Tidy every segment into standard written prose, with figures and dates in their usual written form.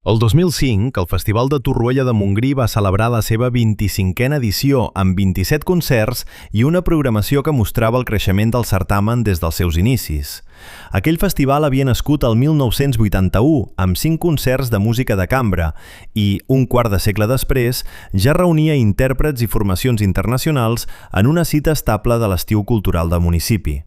El 2005, el Festival de Torroella de Montgrí va celebrar la seva 25a edició amb 27 concerts i una programació que mostrava el creixement del certamen des dels seus inicis. Aquell festival havia nascut el 1981 amb 5 concerts de música de cambra i, un quart de segle després, ja reunia intèrprets i formacions internacionals en una cita estable de l'estiu cultural del municipi.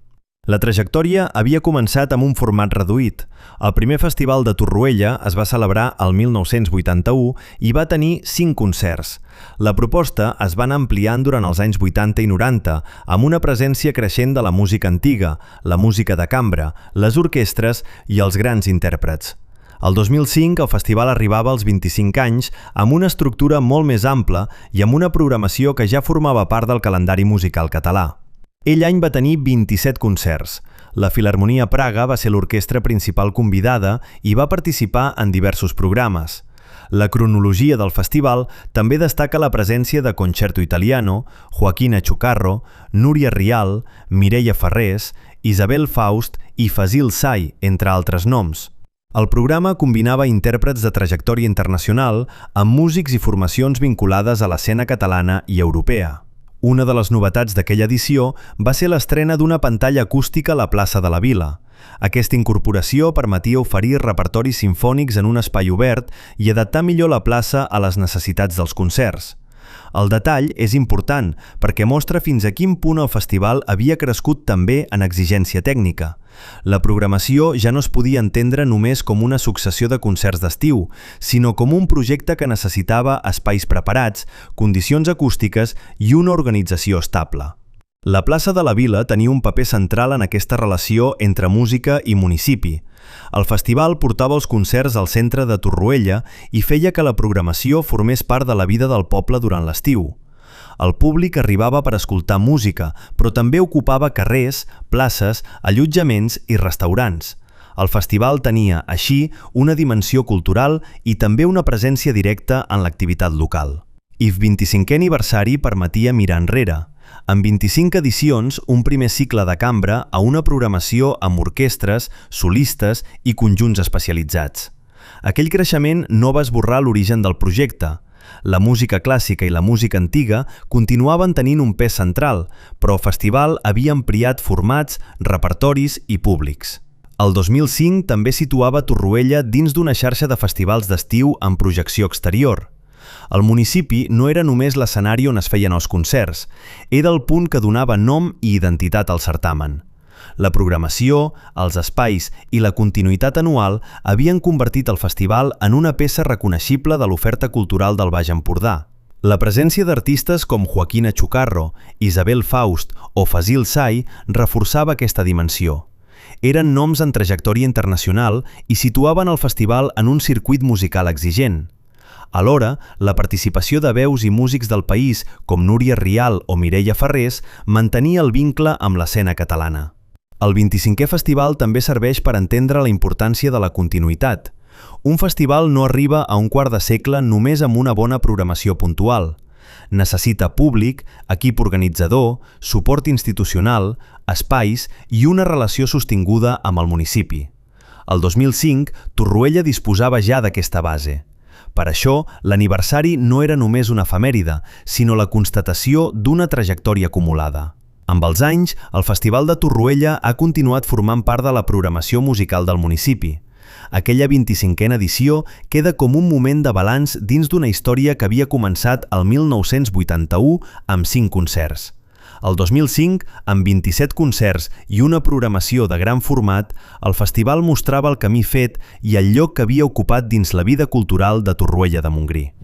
La trajectòria havia començat amb un format reduït. El primer festival de Torroella es va celebrar el 1981 i va tenir 5 concerts. La proposta es va anar ampliant durant els anys 80 i 90, amb una presència creixent de la música antiga, la música de cambra, les orquestres i els grans intèrprets. El 2005 el festival arribava als 25 anys amb una estructura molt més ampla i amb una programació que ja formava part del calendari musical català. Aquell any va tenir 27 concerts. La Filharmonia Praga va ser l'orquestra principal convidada i va participar en diversos programes. La cronologia del festival també destaca la presència de Concerto Italiano, Joaquina Chucarro, Núria Rial, Mireia Farrés, Isabel Faust i Fazil Say, entre altres noms. El programa combinava intèrprets de trajectòria internacional amb músics i formacions vinculades a l'escena catalana i europea. Una de les novetats d'aquella edició va ser l'estrena d'una pantalla acústica a la plaça de la Vila. Aquesta incorporació permetia oferir repertoris simfònics en un espai obert i adaptar millor la plaça a les necessitats dels concerts. El detall és important perquè mostra fins a quin punt el festival havia crescut també en exigència tècnica. La programació ja no es podia entendre només com una successió de concerts d'estiu, sinó com un projecte que necessitava espais preparats, condicions acústiques i una organització estable. La plaça de la Vila tenia un paper central en aquesta relació entre música i municipi. El festival portava els concerts al centre de Torroella i feia que la programació formés part de la vida del poble durant l'estiu. El públic arribava per escoltar música, però també ocupava carrers, places, allotjaments i restaurants. El festival tenia, així, una dimensió cultural i també una presència directa en l'activitat local. I el 25è aniversari permetia mirar enrere. En 25 edicions, un primer cicle de cambra a una programació amb orquestres, solistes i conjunts especialitzats. Aquell creixement no va esborrar l'origen del projecte. La música clàssica i la música antiga continuaven tenint un pes central, però el festival havia ampliat formats, repertoris i públics. El 2005 també situava Torroella dins d'una xarxa de festivals d'estiu amb projecció exterior. El municipi no era només l'escenari on es feien els concerts, era el punt que donava nom i identitat al certamen. La programació, els espais i la continuïtat anual havien convertit el festival en una peça reconeixible de l'oferta cultural del Baix Empordà. La presència d'artistes com Joaquina Chucarro, Isabel Faust o Fazil Say reforçava aquesta dimensió. Eren noms en trajectòria internacional i situaven el festival en un circuit musical exigent. Alhora, la participació de veus i músics del país, com Núria Rial o Mireia Farrés, mantenia el vincle amb l'escena catalana. El 25è festival també serveix per entendre la importància de la continuïtat. Un festival no arriba a un quart de segle només amb una bona programació puntual. Necessita públic, equip organitzador, suport institucional, espais i una relació sostinguda amb el municipi. El 2005, Torroella disposava ja d'aquesta base. Per això, l'aniversari no era només una efemèride, sinó la constatació d'una trajectòria acumulada. Amb els anys, el Festival de Torroella ha continuat formant part de la programació musical del municipi. Aquella 25a edició queda com un moment de balanç dins d'una història que havia començat el 1981 amb 5 concerts. El 2005, amb 27 concerts i una programació de gran format, el festival mostrava el camí fet i el lloc que havia ocupat dins la vida cultural de Torroella de Montgrí.